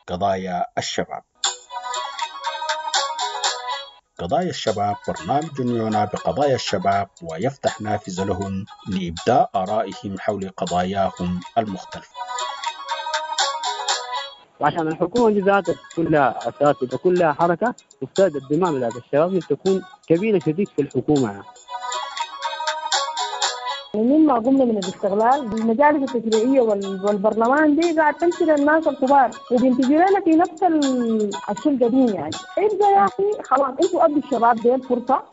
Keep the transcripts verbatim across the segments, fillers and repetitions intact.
قضايا الشباب. قضايا الشباب برنامج يعنى بقضايا الشباب ويفتح نافذة لهم لإبداء آرائهم حول قضاياهم المختلفة. وعشان الحكومة دي ذاتها كلها أساس وكلها حركة، تفترض الدماء بتاعت الشباب تكون كبيرة شديد في الحكومة يعني. مما قمنا من الاستغلال المجالس التشريعية والبرلمان دي قاعد تمشي للناس الكبار وبينتجوا لنا في نفس الشيء القديم يعني. ابدا يا اخي خلاص انتوا ادوا الشباب دي الفرصة.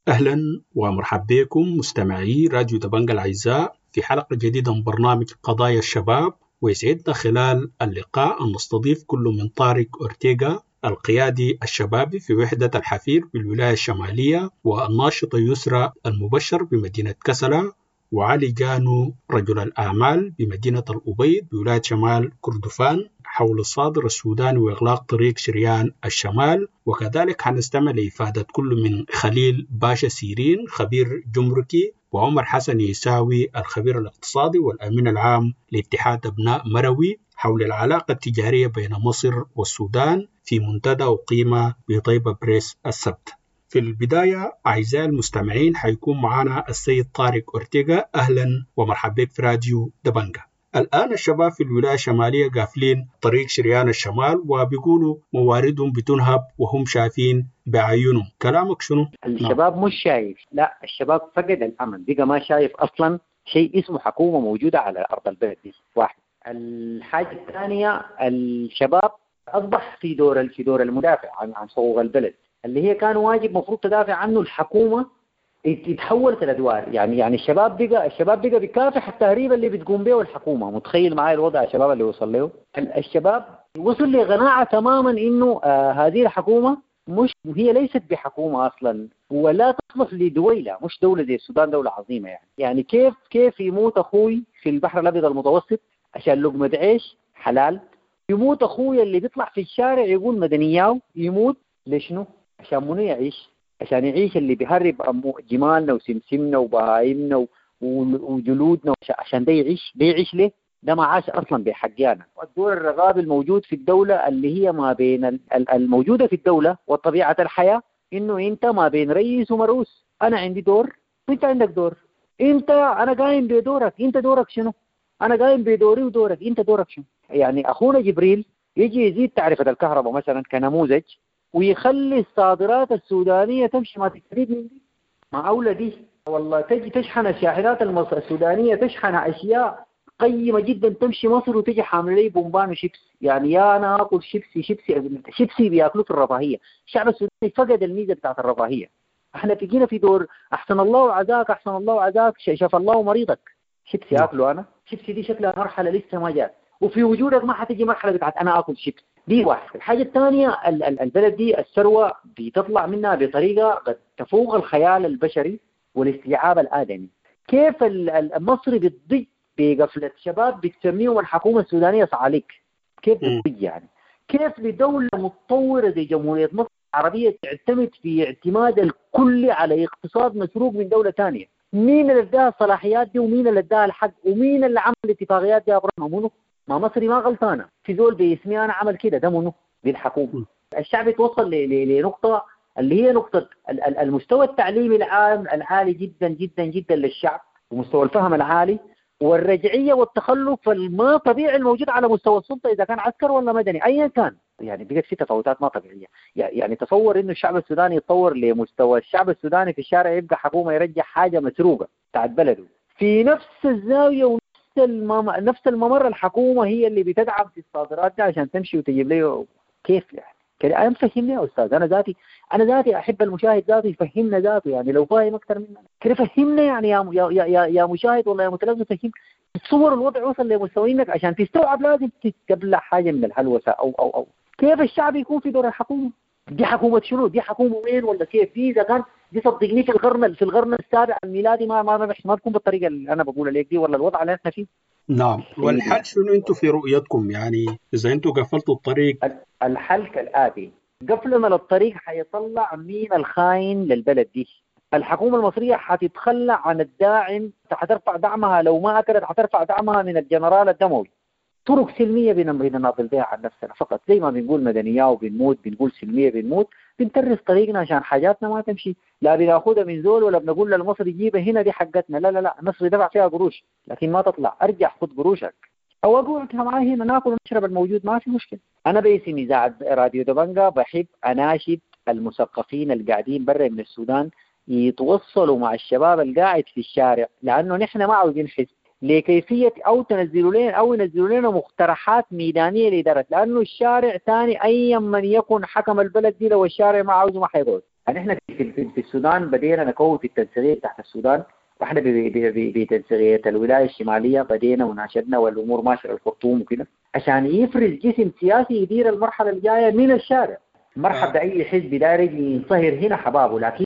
اهلا ومرحبا بكم مستمعي راديو دبنجا الاعزاء في حلقة جديدة من برنامج قضايا الشباب، ويسعدنا خلال اللقاء ان نستضيف كل من طارق اورتيغا القيادي الشبابي في وحدة الحفير بالولاية الشمالية، والناشطة يسرى المبشر بمدينة كسلا، وعلي جانو رجل الأعمال بمدينة الأبيض بولاية شمال كردفان، حول الصادر السوداني وإغلاق طريق شريان الشمال. وكذلك حنستمع لإفادة كل من خليل باشا سيرين خبير جمركي، وعمر حسن يساوي الخبير الاقتصادي والأمين العام لاتحاد أبناء مروي، حول العلاقة التجارية بين مصر والسودان في منتدى أقيم بطيبة بريس السبت. في البداية أعزائي المستمعين حيكون معنا السيد طارق أورتيغا. أهلا ومرحبا بك في راديو دبنجا. الآن الشباب في الولاية الشمالية قافلين طريق شريان الشمال وبيقولوا مواردهم بتنهب وهم شايفين بعيونهم، كلامك شنو؟ الشباب مش شايف، لا الشباب فقد الأمل، بقى ما شايف أصلا شيء اسمه حكومة موجودة على أرض البلد دي. واحد. الحاجة الثانية، الشباب أصبح في دور في دور المدافع عن عن حقوق البلد اللي هي كان واجب مفروض تدافع عنه الحكومة، اتحولت الأدوار. يعني يعني الشباب بقى الشباب بقى بيكافح التهريب اللي بتقوم به الحكومة. متخيل معي الوضع الشباب اللي وصل له؟ الشباب وصل لقناعة تماما إنه آه هذه الحكومة مش هي ليست بحكومة أصلا ولا تصلح لدويلة، مش دولة زي السودان، دولة عظيمة يعني. يعني كيف كيف يموت أخوي في البحر الأبيض المتوسط عشان لقمة عيش حلال؟ يموت أخوي اللي بيطلع في الشارع يقول مدنياو، يموت لشنو؟ عشان منو يعيش؟ عشان يعيش اللي بيهرب جمالنا وسمسمنا وبهايمنا وجلودنا، عشان ده يعيش. ده يعيش ليه؟ ده ما عاش أصلا بحقيانا. الدور الرغابي الموجود في الدولة اللي هي ما بين الموجودة في الدولة وطبيعة الحياة، إنه أنت ما بين رئيس ومرؤوس. أنا عندي دور وأنت عندك دور، أنت أنا قايم بدورك، أنت دورك شنو؟ أنا قايم بدوري ودورك، أنت دورك شنو؟ يعني أخونا جبريل يجي يزيد تعرفة الكهرباء مثلا كنموذج ويخلي الصادرات السودانية تمشي، ما تستفيد من دي، ما أولى دي والله. تجي تشحن الشاحنات السودانية تشحن أشياء قيمة جدا تمشي مصر وتجي حامل لي بومبان وشيبس. يعني يا أنا آكل شيبسي شيبسي شيبسي بياكلوه في الرفاهية. الشعب السوداني فقد الميزة بتاعت الرفاهية. احنا تجينا في دور أحسن الله وعزاك، أحسن الله وعزاك، شاف الله مريضك. شيبسي آكله أنا، شيبسي دي شكلها مرحلة لسه ما جات، وفي وجودك ما حتيجي مرحلة بتاعت أنا آكل شيبس دي. واحد. الحاجة الثانية، البلد دي الثروة بتطلع منها بطريقة قد تفوق الخيال البشري والاستيعاب الآدمي. كيف المصري بتضج بقفلة شباب بتسميهم الحكومة السودانية صعاليك؟ كيف بتضج يعني؟ كيف لدولة متطورة زي جمهورية مصر العربية تعتمد في اعتماد الكلي على اقتصاد مسروق من دولة ثانية؟ مين اللي اداها الصلاحيات دي ومين اللي اداها الحق ومين اللي عمل الاتفاقيات دي يا ابراهيم؟ ما مصري ما غلطانة، في زول باسمي انا عمل كده، ده منو؟ دي الحكومة. الشعب يتوصل لنقطة اللي هي نقطة المستوى التعليمي العام العالي جدا جدا جدا للشعب، ومستوى الفهم العالي، والرجعيه والتخلف الما طبيعي الموجود على مستوى السلطة اذا كان عسكر ولا مدني ايا كان. يعني بقت في تفاوتات ما طبيعية. يعني تصور انه الشعب السوداني يتطور لمستوى الشعب السوداني في الشارع يبقى حكومة يرجع حاجة مسروقه بتاعت بلده في نفس الزاوية ونفس المم... نفس الممر. الحكومة هي اللي بتدعم في الصادرات دي عشان تمشي وتجيب لي كيف يعني؟ كده انا مفهمني يا استاذ. انا ذاتي انا ذاتي احب المشاهد ذاته يفهمنا ذاته، يعني لو فاهم اكثر منا كده فهمنا يعني يا يا يا, يا مشاهد والله يا متلازم فهم. تصور الوضع وصل لمستوى انك عشان تستوعب لازم تبلع حاجة من الهلوسه او او او كيف الشعب يكون في دور الحكومة دي؟ حكومة شنو دي؟ حكومة وين ولا كيف دي؟ اذا كان دي صدقني في القرن في القرن السابع الميلادي ما ما ما, ما تكون بالطريقة اللي انا بقولها لك دي ولا الوضع اللي احنا فيه. نعم. والحل شنو انتم في رؤيتكم؟ يعني اذا انتم قفلتوا الطريق، الحل كالاتي: قفلنا للطريق حيطلع مين الخاين للبلد دي. الحكومة المصرية حتتخلى عن الداعم، حترفع دعمها لو ما اكلت، حترفع دعمها من الجنرال الدموي. طرق سلمية بنناضل بها عن نفسنا فقط، زي ما بنقول مدنية وبنموت، بنقول سلمية بنموت، بنترس طريقنا عشان حاجاتنا ما تمشي، لا بناخدها من زول ولا بنقول للمصري جيبها هنا دي حقتنا، لا لا لا، المصري دفع فيها قروش لكن ما تطلع، ارجع خد قروشك او اقعد معاه هنا ناكل ونشرب الموجود ما في مشكلة. انا باسم اذاعة راديو دبنجا بحب اناشد المثقفين القاعدين برا من السودان يتوصلوا مع الشباب القاعد في الشارع، لانه نحن ما عاوزين حزب، لكيفية أو تنزلوا لنا أو ينزلوا لنا مقترحات ميدانية لإدارة، لأنه الشارع ثاني أي من يكن حكم البلد دي لو الشارع ما عاوزه ما حيقعد. يعني إحنا في, في, في السودان بدينا نكون في التنسيقية تحت السودان، وإحنا بتنسيقية الولاية الشمالية بدينا وناشدنا والأمور ماشية الخرطوم وكده عشان يفرز جسم سياسي يدير المرحلة الجاية من الشارع. مرحبا بأي حزب داير ينصهر هنا حبابة، لكن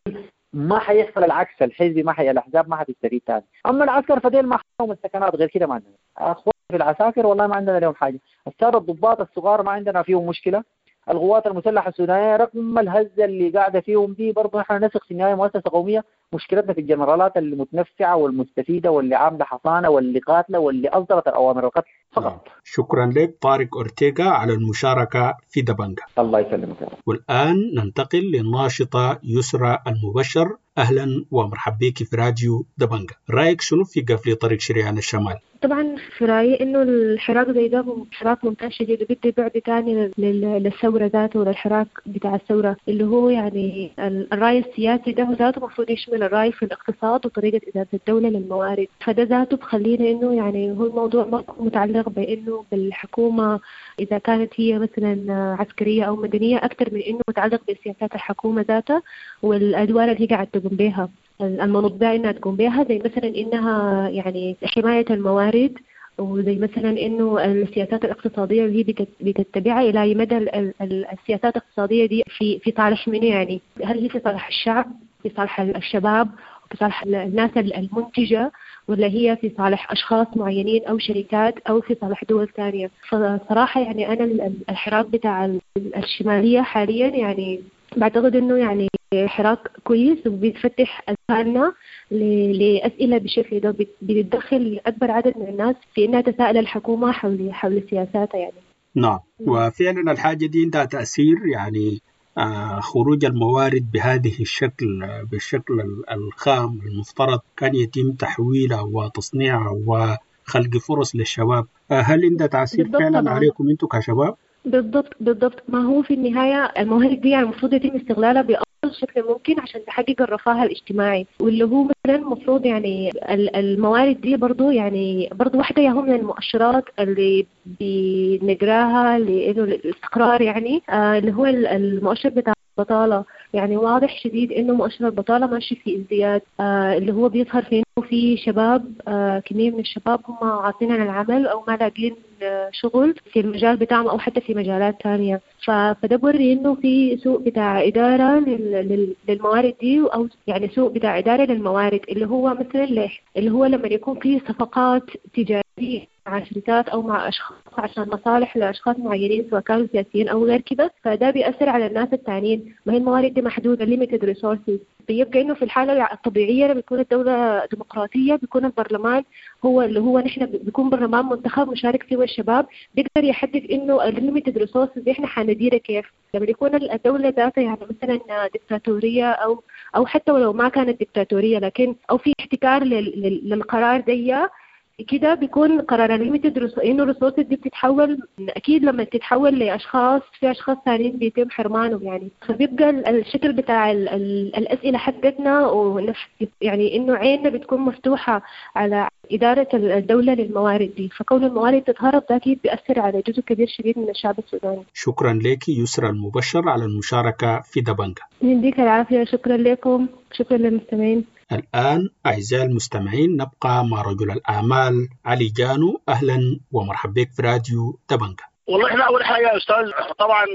ما حيحصل العكس، الحزب ما حي الاحزاب ما حتستفيد ثاني. اما العسكر فديل ما حهم السكنات، غير كده ما عندنا اخوان في العساكر والله ما عندنا لهم حاجة. السادة الضباط الصغار ما عندنا فيهم مشكلة. القوات المسلحة السودانية رغم الهزة اللي قاعدة فيهم دي برضه نحن نثق في النهاية مؤسسة قومية. مشكلتنا في الجنرالات المتنفعه والمستفيده واللي عامله حصانه واللي قاتله واللي اصدرت الاوامر القتل فقط. شكرا لك طارق أورتيغا على المشاركة في دبنجا. الله يسلمك. والآن ننتقل للناشطة يسرى المبشر. أهلا ومرحبا بك في راديو دبنجا. رأيك شنو في قفل طريق شريان الشمال؟ طبعا في رأيي إنه الحراك زي ده حراك ممتاز شديد، وبدي بعد تاني للثورة ذاته وللحراك بتاع الثورة، اللي هو يعني الرأي السياسي ده ذاته المفروض يشمل الرأي في الاقتصاد وطريقة إدارة الدولة للموارد. فده ذاته بخلينا إنه يعني هو الموضوع ما متعلق بإنه بالحكومة إذا كانت هي مثلا عسكرية أو مدنية، أكثر من إنه متعلق بسياسات الحكومة ذاتها والأدوار اللي هي قاعدة تقوم بها، المنوط بها إنها تقوم بها، زي مثلا إنها يعني حماية الموارد، وزي مثلا إنه السياسات الاقتصادية اللي هي بتتبعها إلى أي مدى السياسات الاقتصادية دي في في صالح منه، يعني هل هي في صالح الشعب، في صالح الشباب، في صالح الناس المنتجة، ولا هي في صالح أشخاص معينين أو شركات أو في صالح دول ثانية. فصراحة يعني أنا الحراك بتاع الشمالية حاليا يعني بعتقد إنه يعني حراك كويس وبيتفتح أذهاننا لأسئلة بشكل ده بيتدخل أكبر عدد من الناس في إنها تساءل الحكومة حول حول سياساتها يعني. نعم، وفعلا الحاجة دي عندها تأثير، يعني آه خروج الموارد بهذه الشكل بالشكل الخام المفترض كان يتم تحويلها وتصنيعها وخلق فرص للشباب. آه هل عندها تأثير فعلا طبعاً عليكم أنتم كشباب؟ بالضبط بالضبط، ما هو في النهاية الموارد دي يعني المفروض يتم استغلالها بأفضل شكل ممكن عشان تحقق الرفاه الاجتماعي، واللي هو مثلا المفروض يعني الموارد دي برضو يعني برضو واحدة هي من المؤشرات اللي بنقراها لإنه الاستقرار، يعني آه اللي هو المؤشر بتاع البطالة. يعني واضح شديد إنه مؤشر البطالة ماشي في ازدياد، آه اللي هو بيظهر في إنه في شباب، آه كمية من الشباب هم عاطلين عن العمل أو ما لاقين آه شغل في المجال بتاعهم أو حتى في مجالات تانية. فده بوري إنه في سوء بتاع إدارة لل للموارد دي، أو يعني سوء بتاع إدارة للموارد، اللي هو مثلا اللي هو لما يكون في صفقات تجارية مع شركات أو مع أشخاص عشان مصالح لأشخاص معينين سواء كانوا سياسيين أو غير كده، فده بيأثر على الناس التانيين. ما هي الموارد دي محدودة، limited resources. بيبقى إنه في الحالة الطبيعية لما بيكون الدولة ديمقراطية بيكون البرلمان هو اللي هو نحن بيكون برلمان منتخب مشارك فيه الشباب، بيقدر يحدد إنه limited resources دي إحنا حنديرها كيف. لما يكون الدولة ذاتها يعني مثلا ديكتاتورية أو أو حتى ولو ما كانت ديكتاتورية، لكن أو في احتكار للقرار دي كده، بيكون قرار limited انه ال resources دي بتتحول، اكيد لما تتحول لاشخاص في اشخاص ثانيين بيتم حرمانهم يعني. فبيبقى الشكل بتاع ال ال الاسئلة حقتنا ونفس يعني انه عيننا بتكون مفتوحة على ادارة الدولة للموارد دي، فكون الموارد تتهرب ده اكيد بيأثر على جزء كبير شديد من الشعب السوداني. شكرا لك يسرى المبشر على المشاركة في دبنجا. يديك العافية، شكرا لكم، شكرا للمستمعين. الآن أعزائي المستمعين نبقى مع رجل الأعمال علي جانو. أهلا ومرحبا بك في راديو دبنجا. والله إحنا أول حاجة يا أستاذ، طبعا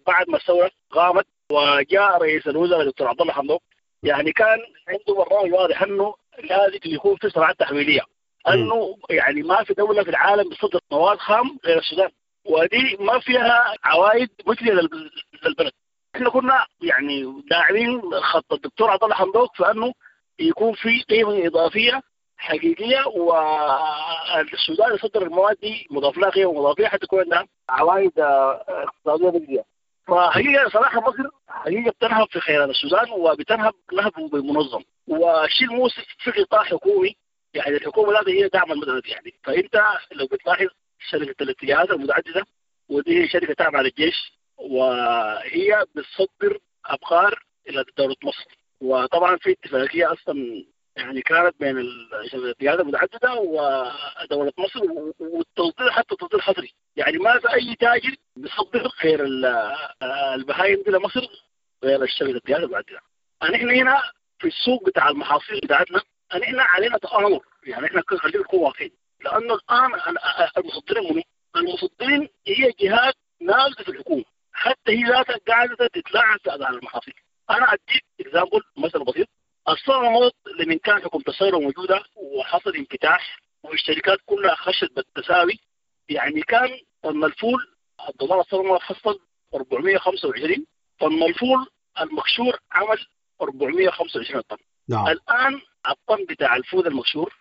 بعد ما الثورة قامت وجاء رئيس الوزراء دكتور عبد الله حمدوك، يعني كان عنده برنامج واضح أنه لازم يكون في صناعات تحويلية، أنه يعني ما في دولة في العالم بتصدر مواد خام غير السودان، ودي ما فيها عوائد مجزية للبلد. احنا كنا يعني داعمين خط الدكتور عبد الله حمدوك في انه يكون في قيمة اضافية حقيقية، والسودان يصدر المواد دي مضاف لها قيمة مضافيه حتى تكون عندها عوائد اقتصادية مجزية. فحقيقة صراحة مصر حقيقة بتنهب في خيرات السودان، وبتنهب نهب منظم. والشيء المؤسف في قطاع حكومي، يعني الحكومة لازم هي دعم المدرسة يعني. فانت لو بتلاحظ شركة الاتجاهات المتعددة، ودي شركة تابعه للجيش، وهي بتصدر ابقار الى دولة مصر. وطبعا في اتفاقية اصلا يعني كانت بين الاتجاهات المتعددة ودولة مصر، والتصدير حتى تصدير حصري، يعني ما في اي تاجر بيصدر غير البهايم دي لمصر غير الشركة الاتجاهات المتعددة. نحن هنا في السوق بتاع المحاصيل بتاعتنا نحن علينا تآمر، يعني احنا خلينا نكون واقعيين، لانه الان المصدرين منو؟ المصدرين هي جهات نازله في الحكومة، حتى هي ذاتها قاعدة تتلاعب في اسعار المحاصيل. انا اديك example مثل بسيط. السنة الماضية لمن كان حكومة الثورة موجودة وحصل انفتاح والشركات كلها خشت بالتساوي، يعني كان طن الفول الدولار السنة الماضية حصل أربعمية وخمسة وعشرين، طن الفول المقشور عمل أربعمية وخمسة وعشرين طن. نعم. الان الطن بتاع الفول المقشور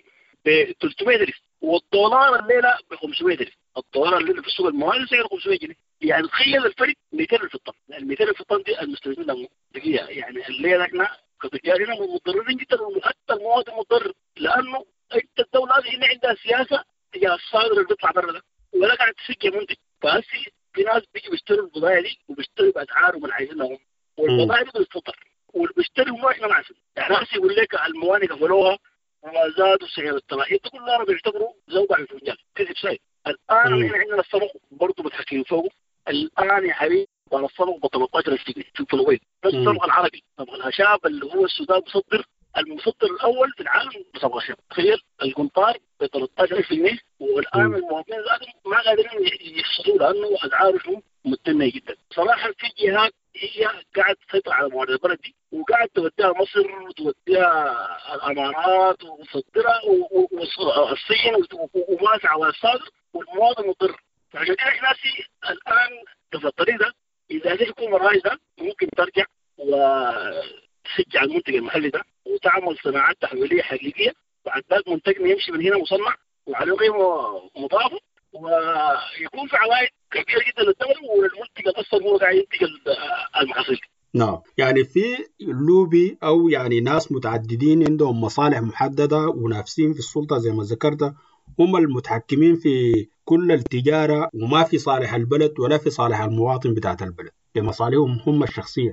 ب ثلاثمية ألف، والدولار الليلة ب خمسمية ألف. الدولار الليلة في السوق الموازي سعره خمسمية جنيه، يعني تخيل الفرق مئتين ألف الطن. ال مئتين ألف الطن دي المستفيدين منها دقيقة، يعني الليلة احنا كتجار هنا متضررين جدا، وحتى المواطن متضرر، لانه انت الدولة هذه هنا عندها سياسة تجاه الصادر اللي بيطلع برا ده، ولا قاعد تسجل منتج. فهسي في ناس بيجي بيشتروا البضائع دي وبيشتروا باسعارهم اللي عايزينها، والبضائع دي بتتصدر، واللي بيشتري هم احنا ما عارفين. يعني هسي يقول لك الموانئ قفلوها وزادوا سعر التراحيل، ده كله انا بيعتبروا زوبع في الفنجان، كذب سايد. الان احنا عندنا الصمغ برضه متحكمين فوقه. الان يا حبيبي الصمغ ب ثلاثة عشر ألف جنيه في الكيلوين. بس الصمغ العربي، صمغ الهشاب اللي هو السودان بيصدر، المصدر الاول في العالم بصمغ الهشاب. تخيل القنطار ب ثلاثة عشر ألف جنيه، والان المواطنين ذاتهم ما قادرين يحصلوا لانه اسعارهم متنيه جدا. صراحة في جهات هي قاعد تسيطر على موارد البلد دي، وقاعد توديها مصر وتوديها الامارات وتصدرها والصين وماسعه على الصادر، والمواطن مضر. فعشان كده احنا الان في الطريق ده، اذا هذه الحكومة الرائدة ممكن ترجع وتشجع المنتج المحلي ده وتعمل صناعات تحويليه حقيقية، وبعد ذلك منتجنا يمشي من هنا مصنع وعليه قيمة مضافة، ويكون في عوائد كبيرة جدا للدولة وللمنتج اصلا هو قاعد ينتج المحاصيل. نعم، يعني في لوبي او يعني ناس متعددين عندهم مصالح محددة ونافسين في السلطة زي ما ذكرت، هم المتحكمين في كل التجارة، وما في صالح البلد ولا في صالح المواطن بتاعت البلد، لمصالحهم هم الشخصية.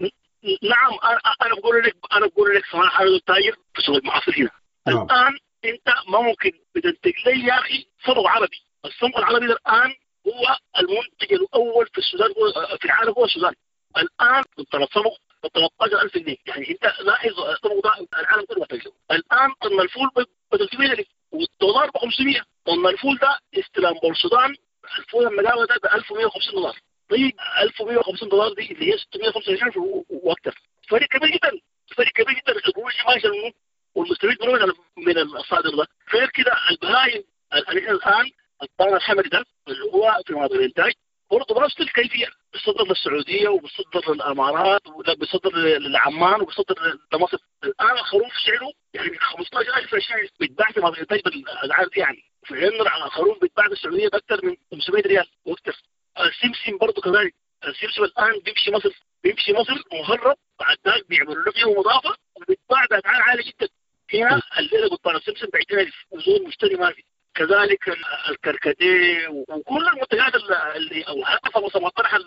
نعم، انا انا بقول لك انا بقول لك صراحة، انا تاجر في سوق المحاصيل هنا. نعم. الان انت ما ممكن بتنتج لي يا اخي صمغ عربي. الصمغ العربي الان هو المنتج الاول في السودان، هو في العالم هو السودان. الان الصمغ ب ثلاثة عشر ألف جنيه، يعني انت لاحظ الصمغ ده العالم كله محتاج له. الان طن الفول ب ثلاثمية ألف والدولار ب خمسمية. طن الفول ده استلام بورسودان، الفول المداوي ده ب ألف ومية وخمسين دولار. طيب ألف ومية وخمسين دولار دي اللي هي ستمية وخمسة وعشرين واكثر، فرق كبير جدا، فرق كبير جدا. القروش ماشية منه والمستفيد منه من الصادر ده. غير كده البهايم الان الطن الحمري ده اللي هو في مناطق الانتاج برضه بنفس الكيفية، بيصدر للسعودية وبيصدر للامارات وبيصدر لعمان وبيصدر لمصر. الان الخروف سعره يعني خمسة عشر ألف عشرين بيتباع في مناطق الانتاج بالاسعار دي، يعني في حين الخروف بيتباع في السعودية باكثر من خمسمية ريال واكثر. السمسم برضه كذلك، السمسم الان بيمشي مصر، بيمشي مصر مهرب، بعد ذلك بيعملوا له قيمة مضافة وبيتباع باسعار عالية جدا. هنا الليلة قطع السمسم ب عشرين ألف وزول مشتري ما في. كذلك الكركديه وكل المنتجات اللي او حتى سمطرح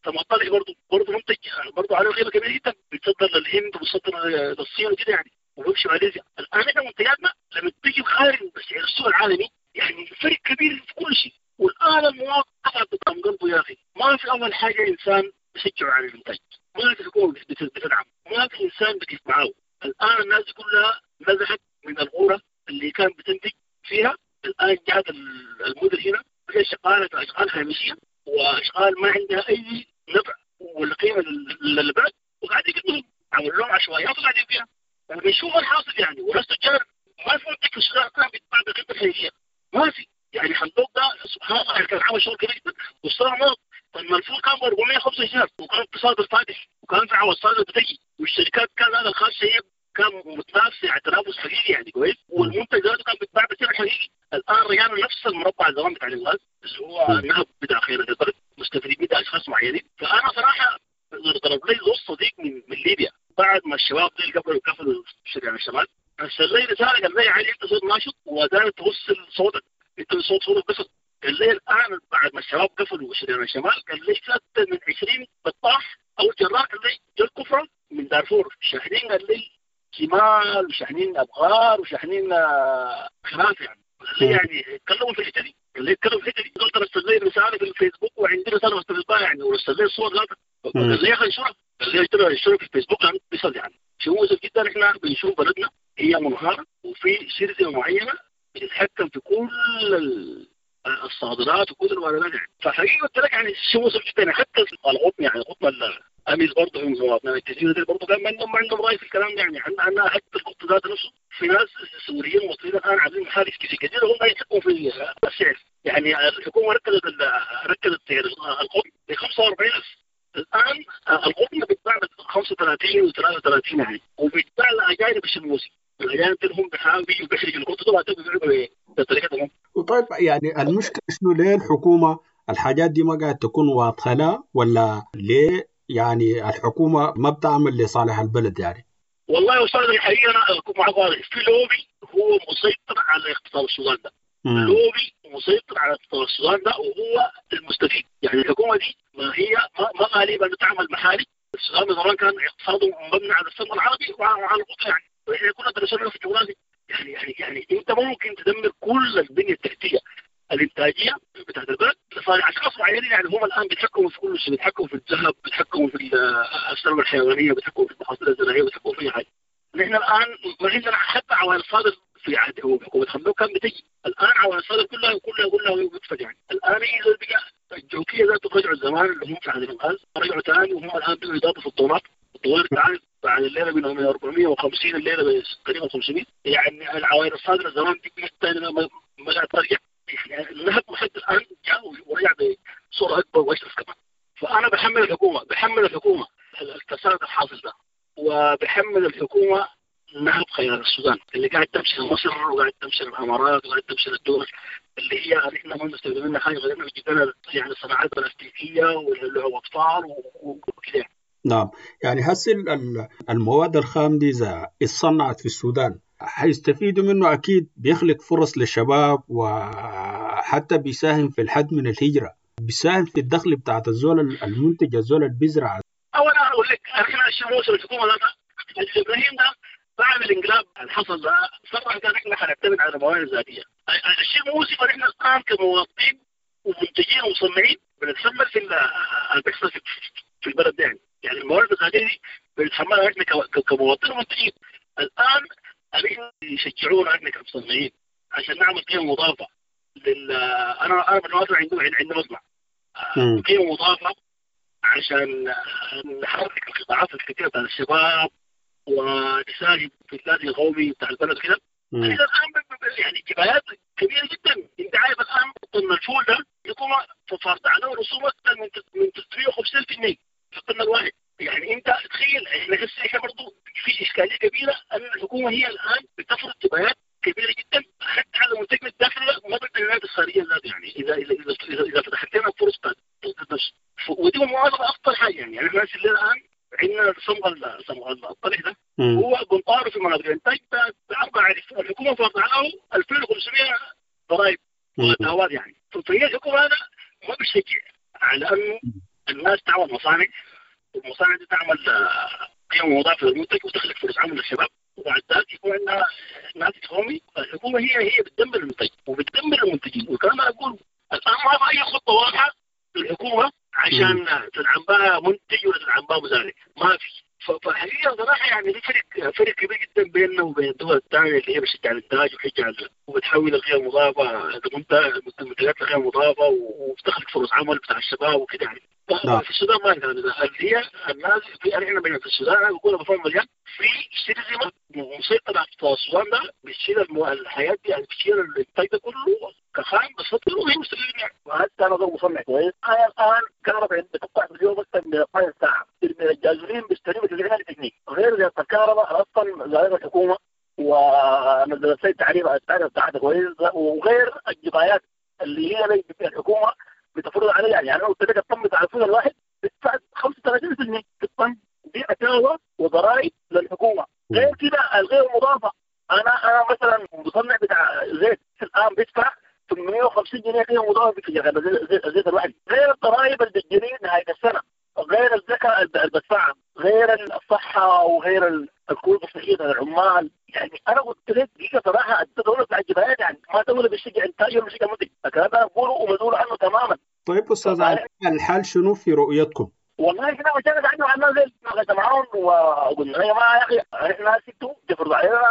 سمطرح برضه برضه منتج برضه عليه قيمة كبيرة جدا، بيتصدر للهند وبيتصدر للصين وكده يعني، وبيمشي ماليزيا. الان احنا منتجاتنا لما تيجي خارج سعر السوق العالمي يعني فرق كبير في كل شيء. والان المواطن قطع قدام قلبه يا اخي، ما في اول حاجة انسان بيشجعه على الانتاج، ما في حكومة بتدعم، ما في انسان بيقف معاه. الان الناس كلها نزحت من الغورة اللي كان بتنتج فيها. الان جات المدن هنا هي شغالة اشغال هامشية واشغال ما عندها اي نفع ولا قيمة للبلد، وقاعد يقدموا عملوا لهم عشوائيات وقاعدين فيها وبنشوف الحاصل يعني. وناس تجار ما في منتج في السودان كان بيتباع بقيمة الحقيقية، ما في يعني. حمدوك ده سبحان الله كان عامل شغل كبير جدا، والصراحة ما لما الفول كان ب أربعمية وخمسة وعشرين وكان اقتصاد الفاتح وكان في عوض صادر بتجي، والشركات كان هذا الخاصة هي كان متنافس يعني تنافس حقيقي يعني كويس، والمنتج ذاته كان بيتباع بسعر حقيقي. الان رجعنا نفس المربع زمان بتاع الانقاذ اللي هو النهب بتاع خيرات البلد، مستفيدين منها اشخاص معينين. فانا صراحة ضرب لي زول صديق من, من ليبيا بعد ما الشباب دي قبلوا قفلوا شارع الشمال، ارسل لي رسالة قال لي علي انت صوت ناشط وداير توصل صوتك، انت صوت صوتك بس. قال لي الان بعد ما الشباب قفلوا شارع الشمال قال لي اكثر من عشرين بطاح او جرار قال لي جو الكفرة من دارفور شاحنين، قال لي جمال وشاحنين ابغار وشاحنين خراف يعني. قال لي يعني اتكلموا في الحتة دي، قال لي اتكلموا في الحتة دي. قلت ارسل لي رسالة في الفيسبوك وعندي رسالة بستفيد يعني، ورسل لي الصور ذاتها. قال لي يا اخي انشرها، قال لي انشرها في الفيسبوك لانه بيصل يعني. شيء مؤسف جدا احنا بنشوف بلدنا هي منهاره وفي شركة معينة بتتحكم في كل الصادرات وكل الواردات يعني. فحقيقة قلت لك يعني شيء مؤسف جدا. حتى القطن يعني القطن الاميز برضه هم مواطنين الجزيرة دي برضه كان عندهم عندهم راي في الكلام ده يعني. عندنا حتى القطن ذات نفسه في ناس سوريين ومصريين الان عاملين محارس في الجزيرة هم يتحكموا في السعر يعني. الحكومة ركزت ركزت سعر القطن ب خمسة وأربعين ألف، الان القطن بيتباع ب خمسة وثلاثين وثلاثة وثلاثين يعني، وبيتباع لاجانب الشموسي. الاجانب هم بيحاولوا بيحرجوا القطن وبعدين بيبيعوا بطريقتهم. وطيب يعني المشكلة شنو؟ ليه الحكومة الحاجات دي ما قاعد تكون واضحة لها، ولا ليه يعني الحكومة ما بتعمل لصالح البلد يعني؟ والله يا استاذ الحقيقة انا اكون معك واضح، في لوبي هو مسيطر على اقتصاد السودان ده. مم. لوبي مسيطر على اقتصاد السودان ده وهو المستفيد يعني. الحكومة دي ما هي ما غالبا بتعمل محالي. السودان زمان كان اقتصاده مبني على السلم العربي وعلى القطن يعني، واحنا كنا درسنا في الجغرافيا يعني. يعني يعني انت ممكن تدمر كل البنية التحتية الانتاجية بتاعت البلد لصالح اشخاص معينين يعني. هم الان بيتحكموا في كل شيء، بيتحكموا في الذهب، بيتحكموا في الثروة الحيوانية، بيتحكموا في المحاصيل الزراعية، بيتحكموا في اي حاجة. نحن الان ما عندنا حتى عوائل صادر في عهد حكومة حمدوك كان بتجي، الان عوائل صادر كلها كلها كلها بتفج يعني. الان اذا بقى الجوكيه ذاته رجعوا زمان اللي هم في عهد الانقاذ رجعوا ثاني، وهم الان بقوا يضافوا في الطونات. الطوارئ تعال بعد الليلة من أربعمية وخمسين الليلة تقريبا خمسمية يعني. العوائل الصادرة زمان دي ثاني ما ما قاعد ترجع يعني. النهب لحد الان جاء ورجع بصورة اكبر واشرس كمان. فانا بحمل الحكومة، بحمل الحكومة الفساد الحاصل ده، وبحمل الحكومة نهب خيار السودان اللي قاعد تمشي لمصر وقاعد تمشي للامارات وقاعد تمشي للدول اللي هي نحن ما بنستفيد منها حاجة غير انه بتجيب لنا يعني الصناعات البلاستيكية واللعب اطفال وكذا. نعم يعني هسه المواد الخام دي اذا اتصنعت في السودان حيستفيدوا منه اكيد، بيخلق فرص للشباب وحتى بيساهم في الحد من الهجرة، بيساهم في الدخل بتاعت الزول المنتج، الزول اللي بيزرع. اولا اقول لك احنا الشموس الحكومة ده ابراهيم ده بعد الانقلاب اللي حصل ده صرح قال احنا حنعتمد على الموارد الذاتية. الشيء المؤسف ان احنا الان كمواطنين ومنتجين ومصنعين بنتحمل في اللي بيحصل في البلد ده يعني. يعني الموارد الذاتية دي بنتحملها احنا كمواطنين ومنتجين. الان احنا يشجعونا احنا كمصنعين عشان نعمل قيمة مضافة لل انا انا بالمناسبة عندي عندي مصنع قيمة مضافة عشان نحرك القطاعات الكثيرة بتاع الشباب ونساهم في النادي القومي بتاع البلد كده. الان يعني جبايات كبيرة جدا. انت عارف الان طن الفول ده الحكومة فرضت عليه رسوم اكثر من من ثلاثمية وخمسين بالمية في الطن الواحد يعني. انت تخيل احنا هسه احنا برضه في اشكالية كبيرة ان الحكومة هي الان بتفرض جبايات كبيرة جدا حتى على منتجنا الداخلي ما بالبيانات الخارجية ذات يعني. اذا اذا اذا اذا فتحت لنا فرص بتاعت ودي مؤاخذة اخطر حاجة يعني. يعني احنا الان عندنا صمغ صمغ الطلح ده هو قنطاره في مناطق الانتاج بأربعة آلاف، الحكومة فرضت عليه ألفين وخمسمية ضرائب واتاوات يعني. فهي الحكومة هذا ما بتشجع على انه الناس تعمل مصانع، والمصانع دي تعمل قيمة مضافة للمنتج وتخلق فرص عمل للشباب، وبعد ذلك يكون عندنا ناتج قومي. الحكومة هي هي بتدمر المنتج وبتدمر المنتجين. والكلام انا اقول الان ما في اي خطه واضحة للحكومة عشان تدعم بها منتج ولا تدعم بها مزارع، ما في. فحقيقة صراحة يعني في فرق فرق كبير جدا بيننا وبين الدول الثانية اللي هي بتشجع الانتاج وبتشجع وبتحول القيم المضافة المنتجات لقيمة مضافة وبتخلق فرص عمل بتاع الشباب وكده يعني. في السودان ما الكلام ده. اللي هي الناس في احنا في السودان انا بقول بفهم مليان في شرذمه مسيطرة على السودان ده، بتشيل الحياة دي يعني، بتشيل الانتاج ده كله كخام بس وهي مستفيدين يعني. وحتى انا ضرب مصنع كويس. انا الان كهرباء بتقطع في اليوم اكثر من اثناشر ساعة، من الجازولين بيشتريه ب تسعين ألف جنيه، غير زيادة الكهرباء اصلا الجبايات اللي هي الحكومة بتفرض عليها. يعني انا قلت لك الطن بتاع الفول الواحد بيدفع خمسة وثلاثين بالمئة في الطن، دي اتاوى وضرائب للحكومة. غير كده الغير المضافة، انا انا مثلا مصنع بتاع زيت الان بيدفع ثمانمئة وخمسين جنيه قيمة مضافة في الزيت الواحد، غير الضرائب اللي بتجري نهاية السنة، غير الزكاة اللي بدفعها، غير الصحة وغير الكروت الصحية للعمال. يعني انا قلت لك دقيقة صراحة الدولة بتاع الجبايات يعني ما دولة بتشجع انتاج ولا بتشجع منتج، الكلام ده انا بقوله ومسؤول عنه تماما. طيب استاذ علي، الحال شنو في رؤيتكم؟ والله احنا مشينا قعدنا مع الناس ديل معاهم وقلنا يا جماعة يا اخي احنا ستو تفرض علينا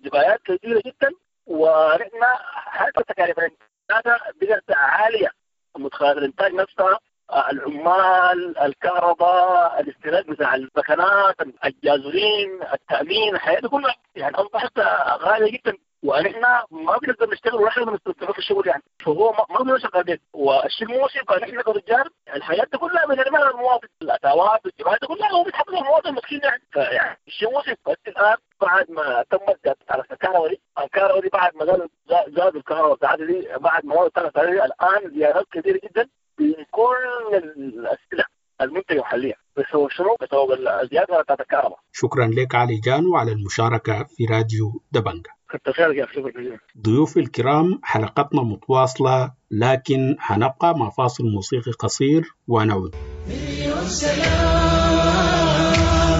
جبايات كثيرة جدا، ونحن حتى تكاليف الانتاج بقت عالية، مدخلات الانتاج نفسها، العمال، الكهرباء، الاستهلاك بتاع المكانات، الجازولين، التامين، الحياة دي كلها يعني اصبحت غالية جدا، ونحن ما بنقدر نشتغل ولا احنا بنستمر في الشغل يعني. فهو ما بنقدر شغالين، والشيء المؤسف نحن كرجال الحياة دي كلها بنرميها للمواطن، الاتاوات والجبايات دي كلها هو بيتحمل المواطن المسكين يعني. فيعني الشيء مؤسف. بس الان بعد ما تمت على الكهرباء دي، الكهرباء دي بعد ما زادوا زادوا الكهرباء بتاعتها دي، بعد ما زادوا الان زيادات كثيرة جدا في كل الاسئلة المنتجة المحلية بسبب شنو؟ بسبب الزيادة بتاعت الكهرباء. شكرا لك علي جانو على المشاركة في راديو دبنجة. كتر خيرك يا شكرا. ضيوفي الكرام، حلقتنا متواصلة لكن حنبقى مع فاصل موسيقي قصير ونعود. مليون سلام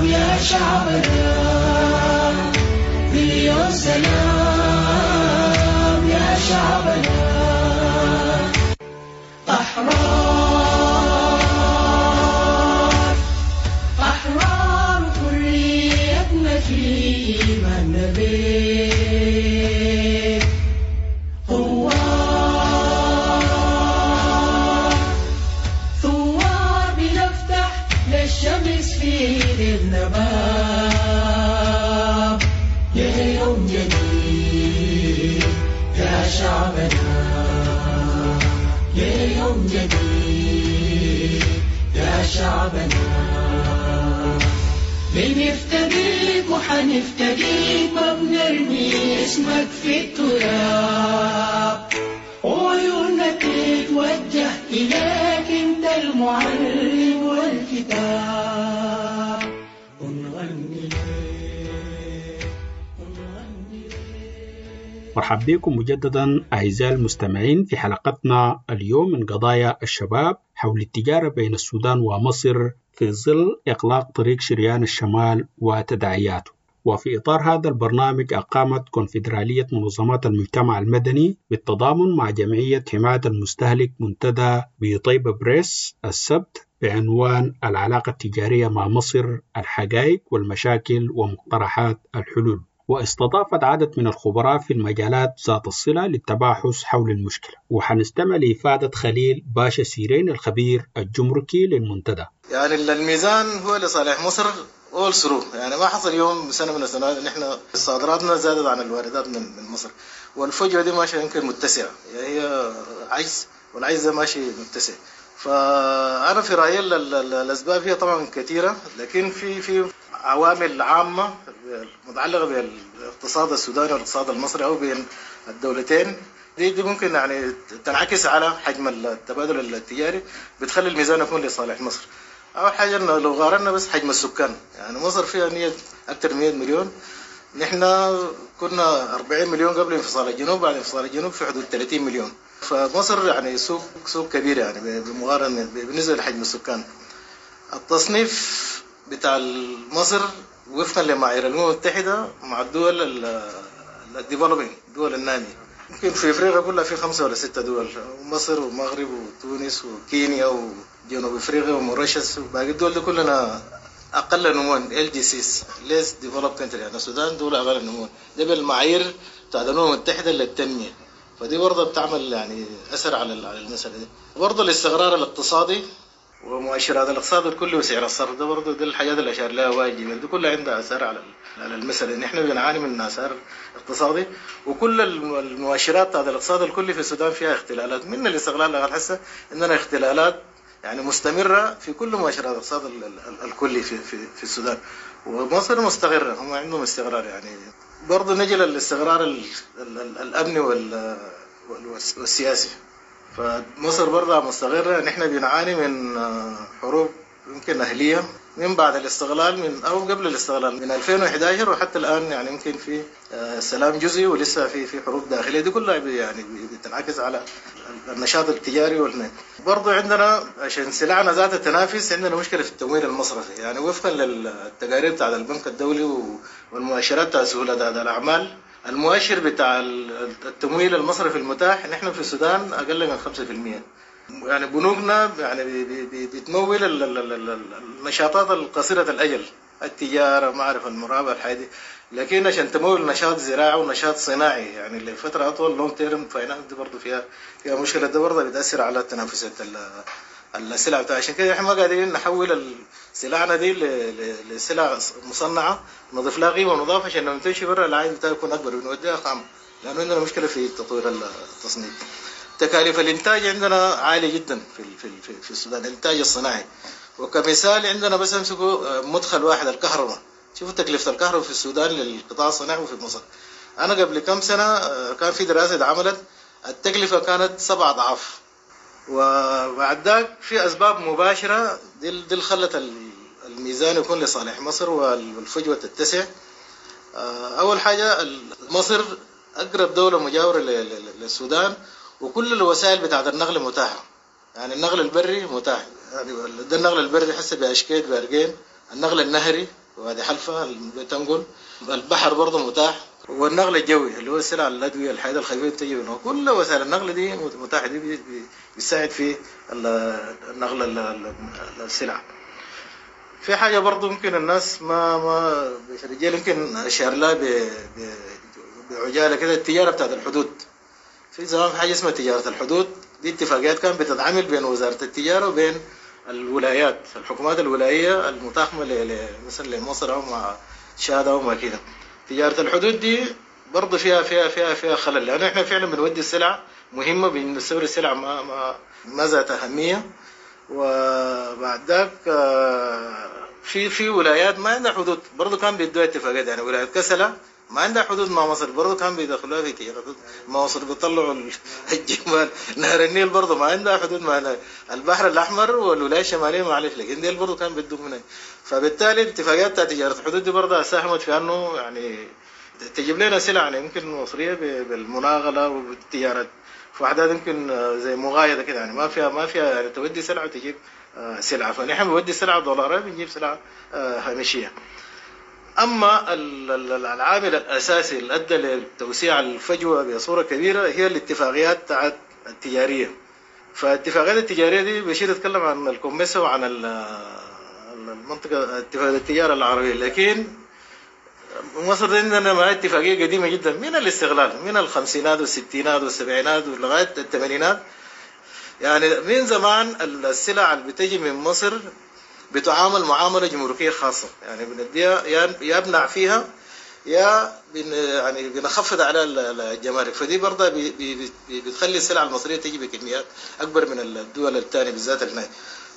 يا شعبنا، مليون سلام يا شعبنا، أحرار أحرار حريتنا في إيماننا بك، ثوار ثوار بنفتح للشمس في ليلنا باب، ليوم جديد يا شعبنا، ليوم جديد يا شعبنا، بنفتديك وحنفتديك ما بنرمي اسمك في التراب، وعيوننا تتوجه إليك انت المعلم والكتاب، ونغني لك ونغني لك. مرحبا بكم مجددا أعزائي المستمعين في حلقتنا اليوم من قضايا الشباب حول التجارة بين السودان ومصر في ظل إغلاق طريق شريان الشمال وتداعياته. وفي إطار هذا البرنامج أقامت كونفدرالية منظمات المجتمع المدني بالتضامن مع جمعية حماية المستهلك منتدى بطيبة بريس السبت بعنوان العلاقة التجارية مع مصر، الحقائق والمشاكل ومقترحات الحلول. واستضافت عدد من الخبراء في المجالات ذات الصلة للتباحث حول المشكلة. وحنستمع لإفادة خليل باشا سيرين الخبير الجمركي للمنتدى. يعني الميزان هو لصالح مصر all through، يعني ما حصل يوم سنة من السنوات ان احنا صادراتنا زادت عن الواردات من من مصر، والفجوة دي ماشية يمكن متسعة، يعني هي عجز والعجز ده ماشي متسع. فأنا في رأيي الأسباب هي طبعا كثيرة، لكن في في عوامل عامة متعلقة بالاقتصاد السوداني والاقتصاد المصري أو بين الدولتين دي دي ممكن يعني تنعكس على حجم التبادل التجاري، بتخلي الميزان يكون لصالح مصر. أول حاجة إنه لو قارنا بس حجم السكان، يعني مصر فيها مية أكثر من مية مليون، نحن كنا أربعين مليون قبل انفصال الجنوب، بعد انفصال الجنوب في حدود ثلاثين مليون. فمصر يعني سوق سوق كبير يعني بمقارنة بالنسبة لحجم السكان. التصنيف بتاع مصر وفقا لمعايير الأمم المتحدة مع الدول ال developing، الدول النامية، يمكن في افريقيا كلها في خمسة ولا ستة دول، مصر والمغرب وتونس وكينيا وجنوب افريقيا وموريشيوس وباقي الدول دي كلنا اقل نموا، LDCs least developed country، يعني السودان دولة اقل نموا، ده بالمعايير بتاع الامم المتحدة للتنمية. فدي برضه بتعمل يعني اثر على على المسألة دي. برضه الاستقرار الاقتصادي ومؤشرات الاقتصاد الكلي وسعر الصرف، ده برضه دي الحاجات اللي اشار لها واجب، دي كلها عندها اثار على على المسألة. نحن بنعاني من اثار اقتصادي، وكل المؤشرات بتاعت الاقتصاد الكلي في السودان فيها اختلالات، من الاستغلال لغاية هسه عندنا اختلالات يعني مستمرة في كل مؤشرات الاقتصاد الكلي في في في السودان. ومصر مستقرة، هم عندهم استقرار. يعني برضه نجي للاستقرار الامني وال والسياسي. فمصر برضه مستقرة. نحن بنعاني من حروب يمكن أهلية من بعد الاستغلال، من أو قبل الاستغلال من ألفين وأحد عشر وحتى الآن، يعني يمكن في سلام جزئي ولسه في في حروب داخلية. دي كلها يعني بتنعكس على النشاط التجاري والنت. برضه عندنا عشان سلعنا ذات التنافس عندنا مشكلة في التمويل المصرفي، يعني وفقا للتقارير بتاع البنك الدولي والمؤشرات بتاع سهولة الأعمال، المؤشر بتاع التمويل المصرفي المتاح نحن في السودان أقل من خمسة في المية. يعني بنوكنا يعني بتمول النشاطات القصيرة الأجل، التجارة، معرفة المرابحة، الحاجة دي، لكن عشان تمول نشاط زراعي ونشاط صناعي يعني لفترة أطول long term finance دي برضه فيها فيها مشكلة. ده برضه بتأثر على تنافسية السلع بتاع. عشان كده احنا ما قادرين نحول سلعنا دي لسلع مصنعة نضيف لها قيمة مضافة عشان لما تمشي برا العائد بتاعها يكون أكبر، بنوديها خام، لأنه عندنا مشكلة في تطوير التصنيع. تكاليف الإنتاج عندنا عالية جدا في في في السودان، الإنتاج الصناعي. وكمثال عندنا بس امسكوا مدخل واحد، الكهرباء. شوفوا تكلفة الكهرباء في السودان للقطاع الصناعي وفي مصر. أنا قبل كم سنة كان في دراسة اتعملت، التكلفة كانت سبع أضعاف. وبعد ذاك في أسباب مباشرة دي اللي خلت الميزان يكون لصالح مصر والفجوة تتسع. أول حاجة مصر أقرب دولة مجاورة للسودان، وكل الوسائل بتاعت النقل متاحة. يعني النقل البري متاح، يعني ده النقل البري حسب بأشكيت بأرجين، النقل النهري وادي حلفة بتنقل، البحر برضه متاح، والنقل الجوي اللي هو السلع الأدوية الحياة الخفيفة بتجي منه. كل وسائل النقل دي متاحة، دي بيساعد في النقل السلع. في حاجة برضه ممكن الناس ما ما رجال يمكن أشار لها بعجالة كده، التجارة بتاعت الحدود. في زمان في حاجة اسمها تجارة الحدود، دي اتفاقيات كانت بتتعامل بين وزارة التجارة وبين الولايات، الحكومات الولاية المتاخمة مثلا لمصر أو مع تشاد أو ما كده. تجارة الحدود دي برضه فيها فيها فيها فيها خلل، لأنه إحنا فعلا بنودي السلع مهمة، بنستورد السلع ما ما ما ذات أهمية. وبعد ذاك في في ولايات ما عندها حدود برضه كان بيدوها اتفاقيات، يعني ولاية كسلة ما عندها حدود مع مصر برضه كان بيدخلوها في تجارة مع مصر، بيطلعوا الجمال. نهر النيل برضه ما عندها حدود مع البحر الأحمر والولاية الشمالية معلش، لكن ديل برضه كان بيدوا منها. فبالتالي الاتفاقيات بتاعت تجارة الحدود دي برضه ساهمت في أنه يعني تجيب لنا سلع يعني يمكن مصرية بالمناغلة وبالتجارة في وحدات يمكن زي مغايدة كده، يعني ما فيها ما فيها يعني تودي سلعة وتجيب سلعة. فنحن بنودي سلعة دولارية بنجيب سلعة هامشية. أما العامل الأساسي اللي أدى لتوسيع الفجوة بصورة كبيرة هي الاتفاقيات التجارية. فالاتفاقيات التجارية دي بشير يتكلم عن الكوميسا وعن المنطقة اتفاقية التجارة العربية، لكن مصر عندنا معها اتفاقية قديمة جدا من الاستغلال، من الخمسينات والستينات والسبعينات ولغاية الثمانينات. يعني من زمان السلع اللي بتجي من مصر بتعامل معاملة جمركية خاصة، يعني بنديها يا بنع فيها يا بن يعني بنخفض على الجمارك. فدي برضه بي بي بتخلي السلع المصرية تيجي بكميات أكبر من الدول الثانية بالذات الناي.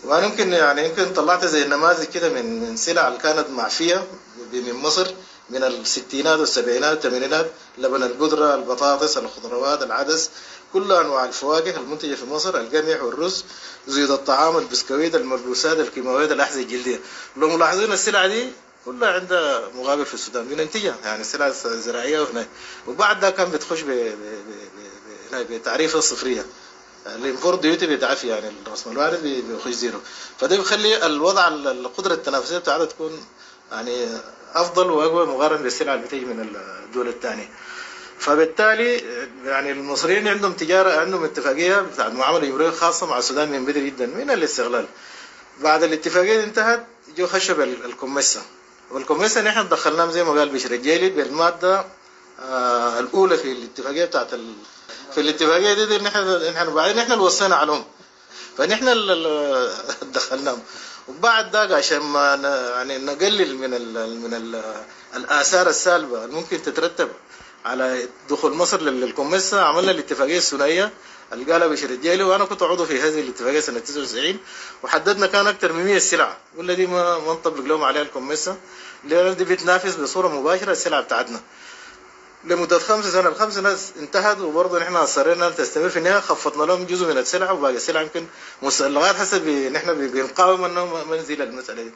وأنا يمكن يعني يمكن طلعت زي النماذج كده من من سلع اللي كانت معفية من مصر من الستينات والسبعينات والثمانينات، لبن البودرة، البطاطس، الخضروات، العدس، كل أنواع الفواكه المنتجة في مصر، القمح والرز، زيوت الطعام، البسكويت، الملبوسات، الكيماويات، الأحذية الجلدية. لو ملاحظين السلع دي كلها عندها مقابل في السودان بننتجها، يعني السلع الزراعية وهنا. وبعد ده كان بتخش بتعريفة الصفرية، ال import duty بيتعفي، يعني الرسم الوارد بيخش zero. فده بيخلي الوضع القدرة التنافسية بتاعتها تكون يعني أفضل وأقوى مقارنة بالسلع اللي بتيجي من الدول الثانية. فبالتالي يعني المصريين عندهم تجارة، عندهم اتفاقية بتاعت معاملة جمركية خاصة مع السودان من بدري جدا من الاستغلال. بعد الاتفاقية انتهت جو خشوا بالكوميسا، والكوميسا نحن دخلناهم زي ما قال بشير الجيلي بالمادة آه الأولى في الاتفاقية بتاعت ال... في الاتفاقية دي, دي نحن نحن بعدين نحن اللي وصينا عليهم، فنحن اللي دخلناهم. وبعد ده عشان ما يعني نقلل من ال من ال الآثار السالبة اللي ممكن تترتب على دخول مصر للكوميسا، عملنا الاتفاقية الثنائية اللي قالها بشير الجيلي، وأنا كنت عضو في هذه الاتفاقية سنة تسعة وتسعين، وحددنا كان أكثر من مئة سلعة قلنا دي ما ما نطبق لهم عليها الكوميسا، لأن دي بتنافس بصورة مباشرة السلعة بتاعتنا. لمدة خمس سنة، الخمس سنة انتهت وبرضه نحن اصرينا تستمر. في النهاية خفضنا لهم جزء من السلع وباقي السلع يمكن لغاية حسب نحن بنقاوم انه ما نزيل المسالة دي.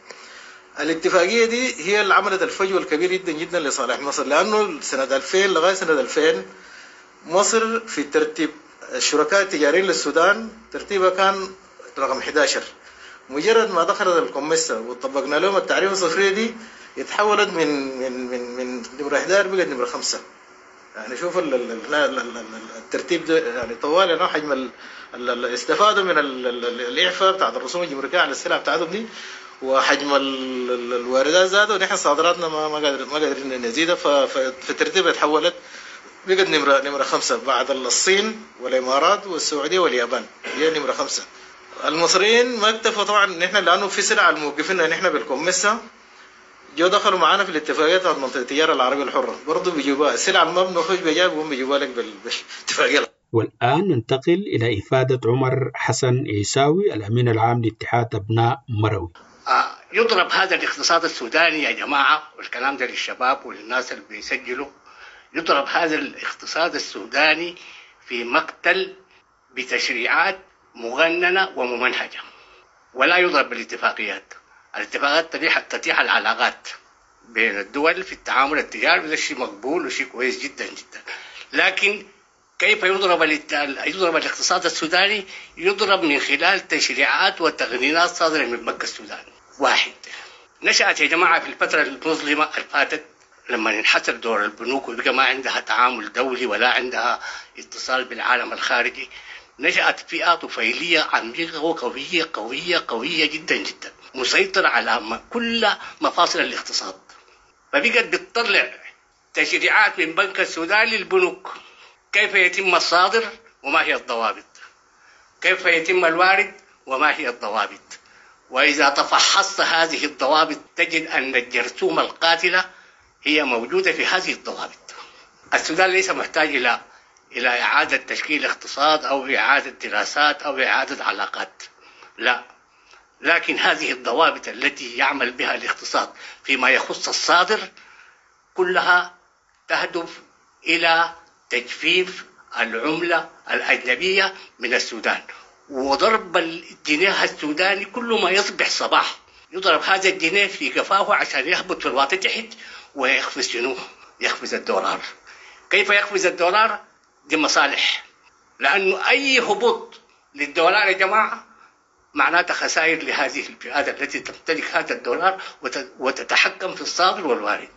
الاتفاقية دي هي اللي عملت الفجوة الكبير جدا جدا لصالح مصر، لانه سنة ألفين لغاية سنة ألفين مصر في ترتيب الشركاء التجاريين للسودان ترتيبها كان رقم إحدى عشر. مجرد ما دخلت الكوميسا وطبقنا لهم التعريفه الصفريه دي اتحولت من من من من نمره إحدى عشر بقت نمره خمسة. يعني شوف ال ال ال الترتيب ده، يعني طوال يعني حجم ال ال استفادوا من الاعفاء بتاعت الرسوم الجمركيه على السلع بتاعتهم دي، وحجم الواردات زاد ونحن صادراتنا ما ما قادر ما قادرين نزيدها، ففي الترتيب اتحولت بقت نمره نمره خمسة بعد الصين والامارات والسعودية واليابان، هي نمره خمسة. المصريين ما اكتفوا طبعا نحن لانه في سلع الموقفين نحن بالكوميسا جو دخلوا معانا في الاتفاقية بتاعت منطقة التجارة العربية الحرة، برضه بيجيبوها السلع اللي ما بنخش بيجيبوها بيقوم بيجيبوها لك بالاتفاقيه. والآن ننتقل إلى إفادة عمر حسن عيساوي الأمين العام لاتحاد أبناء مروي. آه يضرب هذا الاقتصاد السوداني يا جماعة، والكلام ده للشباب وللناس اللي بيسجلوا، يضرب هذا الاقتصاد السوداني في مقتل بتشريعات مغننة وممنهجة، ولا يضرب بالاتفاقيات. الاتفاقات تتيح تتيح العلاقات بين الدول في التعامل التجاري، وده شيء مقبول وشيء كويس جدا جدا. لكن كيف يضرب يضرب الاقتصاد السوداني؟ يضرب من خلال تشريعات وتقنينات صادرة من بنك السودان. واحد، نشأت يا جماعة في الفترة المظلمة الفاتت لما انحسر دور البنوك وبقى ما عندها تعامل دولي ولا عندها اتصال بالعالم الخارجي، نشأت فئة طفيلية عميقة وقوية قوية قوية جدا جدا، مسيطرة على كل مفاصل الاقتصاد. فبقت بتطلع تشريعات من بنك السودان للبنوك، كيف يتم الصادر وما هي الضوابط، كيف يتم الوارد وما هي الضوابط. وإذا تفحصت هذه الضوابط تجد أن الجرثومة القاتلة هي موجودة في هذه الضوابط. السودان ليس محتاج إلى إلى إعادة تشكيل اقتصاد أو إعادة دراسات أو إعادة علاقات، لا، لكن هذه الضوابط التي يعمل بها الاقتصاد فيما يخص الصادر كلها تهدف إلى تجفيف العملة الأجنبية من السودان وضرب الجنيه السوداني. كل ما يصبح صباح يضرب هذا الجنيه في قفاه عشان يهبط في الواطي تحت ويخفز شنو؟ يخفز الدولار. كيف يخفز الدولار؟ دي مصالح، لأنه أي هبوط للدولار يا جماعة معناته خسائر لهذه الفئات التي تمتلك هذا الدولار وتتحكم في الصادر والوارد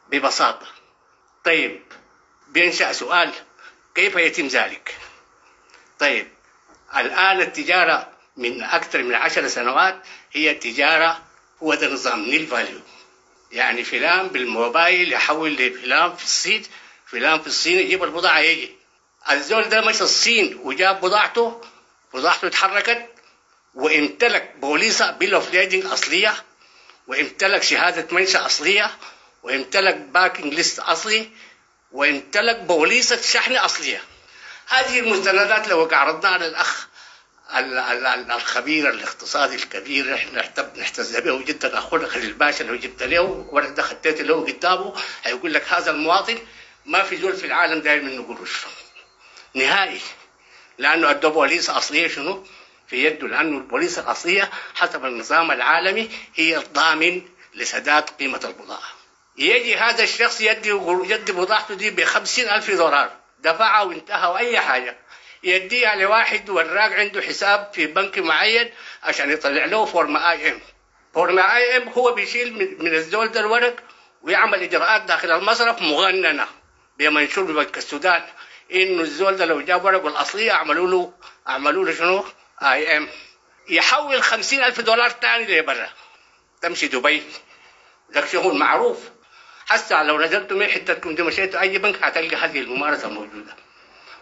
ببساطة. طيب بينشأ سؤال، كيف يتم ذلك؟ طيب الآن التجارة من أكثر من عشر سنوات هي تجارة، هو ده نظام nil value، يعني فلان بالموبايل يحول لفلان في الصين، فلان في الصين يجيب البضاعة، يجي الزول ده مشى الصين وجاب بضاعته، بضاعته اتحركت وامتلك بوليصة bill of lading أصلية، وامتلك شهادة منشأ أصلية، وامتلك packing list أصلي، وامتلك بوليصة شحن أصلية. هذه المستندات لو عرضناها للأخ الخبير الاقتصادي الكبير احنا نحتز به جدا اخونا خليل باشا، لو جبت له ورق ده خطيت له قدامه هيقول لك هذا المواطن ما في زول في العالم داير منه قروش نهائي، لانه ادوا بوليصه اصلية شنو في يده، لانه البوليصه الاصلية حسب النظام العالمي هي الضامن لسداد قيمة البضاعة. يجي هذا الشخص يدي يدي بضاعته دي ب خمسين ألف دولار، دفعها وانتهى واي حاجة، يديها لواحد وراق عنده حساب في بنك معين عشان يطلع له form IM. form IM هو بيشيل من, من الزول ده الورق ويعمل اجراءات داخل المصرف مغننه بمنشور ببنك السودان انه الزول ده لو جاب ورقة الاصلية عملوا له عملوا له شنو؟ IM. يحول خمسين ألف دولار ثاني لبرا، تمشي دبي، ده شغل معروف. حتى لو نزلتوا من حتتكم دي مشيتوا اي بنك هتلقى هذه الممارسة موجودة.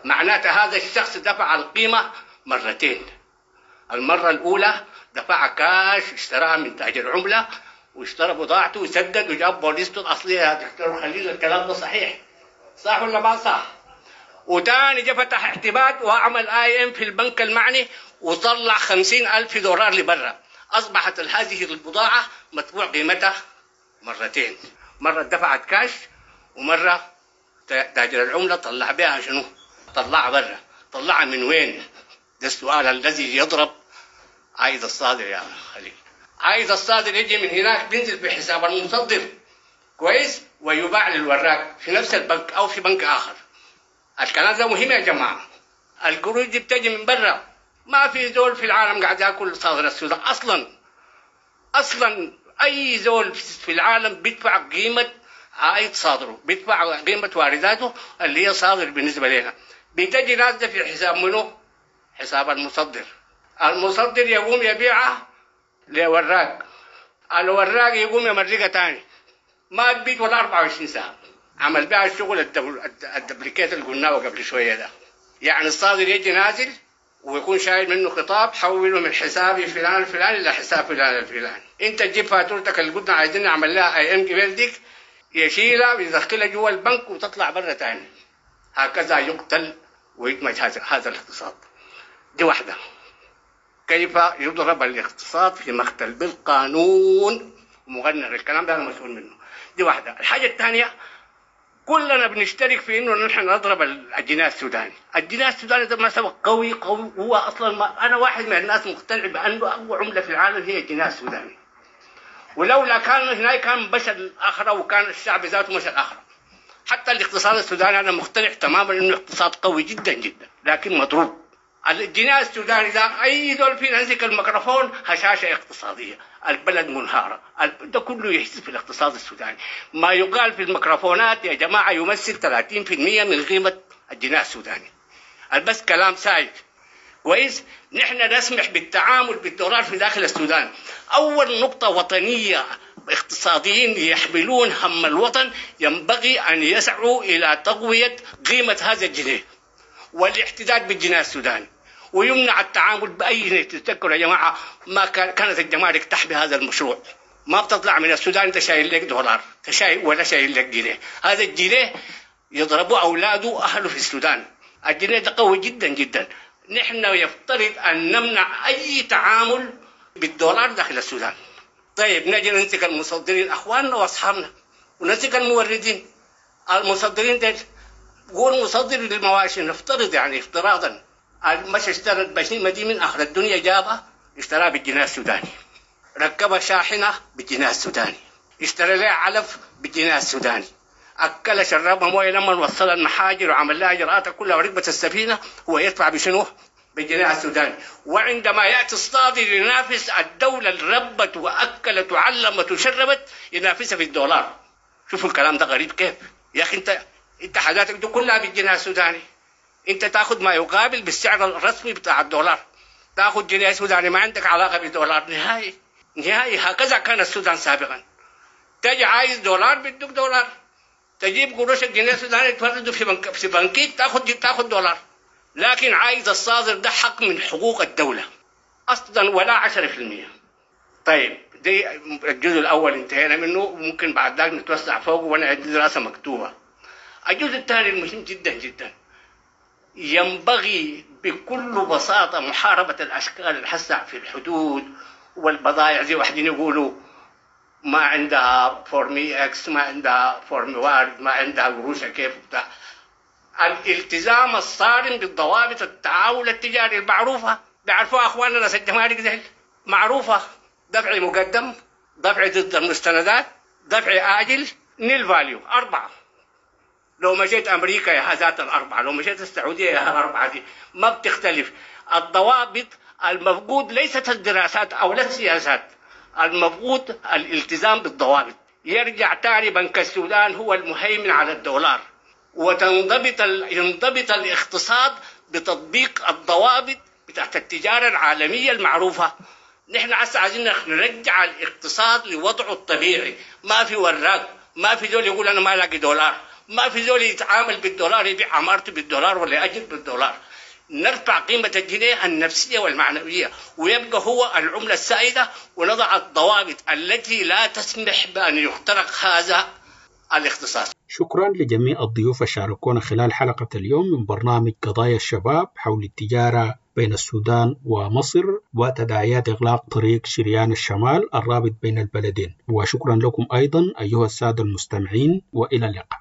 معناته هذا الشخص دفع القيمة مرتين. المرة الأولى دفع كاش، اشتراها من تاجر عملة واشترى بضاعته وسدد وجاب بوليسته الأصلية. يا دكتور خليل الكلام ده صحيح، صح ولا ما صح؟ وتاني جا فتح اعتماد وعمل IM في البنك المعني وطلع خمسين ألف دولار لبرا. أصبحت هذه البضاعة مدفوع قيمتها مرتين، مرة دفعت كاش ومرة تاجر العملة طلع بها شنو؟ طلعها برا، طلعها من وين؟ ده السؤال الذي يضرب عايد الصادر يا خليل. عايد الصادر يجي من هناك بينزل في حساب المصدر، كويس، ويباع للوراق في نفس البنك او في بنك اخر. الكلام ده مهم يا جماعة. القروش دي بتجي من برا، ما في زول في العالم قاعد ياكل صادر السودان اصلا. اصلا اي زول في العالم بيدفع قيمة عائد صادرة، بيدفع قيمة وارداته اللي هي صادر بالنسبة لنا. بتجي نازله في حساب منه؟ حساب المصدر. المصدر يقوم يبيعها لوراق، الوراق يقوم يمرقها تاني، ما تبيت ولا أربعة وعشرين ساعة. عمل بها الشغل ال duplicate اللي قلناه قبل شوية ده. يعني الصادر يجي نازل ويكون شايل منه خطاب، حوله من حسابي فلان الفلاني الى حساب فلان الفلاني. انت تجيب فاتورتك اللي قلنا عايزين نعمل لها اي ام قبل ديك، يشيلها ويدخلها جوا البنك وتطلع برا تاني. هكذا يقتل ويدمج هذا هذا الاقتصاد. دي واحدة. كيف يضرب الاقتصاد في مقتل بالقانون مغنر، الكلام ده انا مسؤول منه. دي واحدة. الحاجة الثانية، كلنا بنشترك في انه نحن نضرب الجنيه السوداني. الجنيه السوداني ده ما سبق قوي قوي، هو اصلا ما انا واحد من الناس مقتنع بانه اقوى عمله في العالم هي الجنيه السوداني، ولولا كان هناك كان مشى الاخرة وكان الشعب ذاته مشى الاخرة. حتى الاقتصاد السوداني انا مقتنع تماما انه اقتصاد قوي جدا جدا، لكن مضروب. الجنيه السوداني ده اي دول فينا يمسك الميكروفون هشاشة اقتصادية، البلد منهاره، ده كله يحس في الاقتصاد السوداني. ما يقال في الميكروفونات يا جماعة يمثل ثلاثين بالمئة من قيمة الجنيه السوداني. بس كلام سايد. كويس؟ نحن نسمح بالتعامل بالدولار في داخل السودان. اول نقطة وطنية، اقتصاديين يحملون هم الوطن ينبغي ان يسعوا الى تقوية قيمة هذا الجنيه والاحتداد بالجنيه السوداني، ويمنع التعامل باي جنيه. تتذكروا يا جماعة ما كانت الجمارك تحمي هذا المشروع، ما بتطلع من السودان انت شايل لك دولار شايل ولا شايل لك جنيه. هذا الجنيه يضربوا اولاده اهله في السودان. الجنيه ده قوي جدا جدا. نحن يفترض ان نمنع اي تعامل بالدولار داخل السودان. طيب نجي نمسك المصدرين اخواننا واصحابنا، ونمسك الموردين. المصدرين ديل قول مصدر للمواشي، نفترض يعني افتراضا مش اشترى البشيمه دي من اخر الدنيا، جابها اشتراها بالجنيه السوداني، ركبها شاحنة بالجنيه السوداني، اشترى لها علف بالجنيه السوداني، اكلها شربها مويه لما وصلها المحاجر وعمل لها اجراءاتها كلها وركبت السفينة، هو يدفع بشنو؟ بالجنيه السوداني. وعندما ياتي الصادر ينافس الدولة اللي ربت واكلت وعلمت وشربت، ينافسها في الدولار. شوفوا الكلام ده غريب كيف يا اخي. انت انت حاجاتك دي كلها بالجنيه السوداني، انت تاخذ ما يقابل بالسعر الرسمي بتاع الدولار، تاخذ جنيه سوداني، ما عندك علاقة بالدولار نهائي نهائي. هكذا كان السودان سابقا. تجي عايز دولار بدك دولار، تجيب قروش الجنيه السوداني تفرده في بنك في بنكيك تاخذ تاخذ دولار. لكن عايز الصادر ده حق من حقوق الدولة اصلا ولا عشرة بالمئة. طيب دي الجزء الاول انتهينا منه، وممكن بعد ذلك نتوسع فوق وانا عندي دراسة مكتوبة. الجزء الثاني المهم جدا جدا، ينبغي بكل بساطة محاربة الأشكال الحسع في الحدود والبضائع. زي واحدين يقولوا ما عندها form X، ما عندها form وارد، ما عندها قروشها كيف بتاع. الالتزام الصارم بالضوابط التعاون التجاري المعروفة، بيعرفوها أخواننا ناس الجمارك ديل، معروفة. دفع مقدم، دفع ضد المستندات، دفع آجل، nil value، أربعة. لو مشيت أمريكا يا ذات الأربعة، لو مشيت السعودية يا الأربعة دي، ما بتختلف. الضوابط المفقود ليست الدراسات أو لا السياسات، المفقود الالتزام بالضوابط. يرجع تاني بنك السودان هو المهيمن على الدولار، وتنضبط ينضبط الاقتصاد بتطبيق الضوابط بتاعت التجارة العالمية المعروفة. نحن هسه عايزين نرجع الاقتصاد لوضعه الطبيعي. ما في وراق، ما في زول يقول أنا ما لاقي دولار، ما في زول يتعامل بالدولار، يبيع عمارته بالدولار ولا يأجر بالدولار. نرفع قيمة الجنيه النفسية والمعنوية ويبقى هو العملة السائدة، ونضع الضوابط التي لا تسمح بأن يخترق هذا الاقتصاد. شكرا لجميع الضيوف شاركونا خلال حلقة اليوم من برنامج قضايا الشباب حول التجارة بين السودان ومصر وتداعيات إغلاق طريق شريان الشمال الرابط بين البلدين. وشكرا لكم أيضا أيها السادة المستمعين، وإلى اللقاء.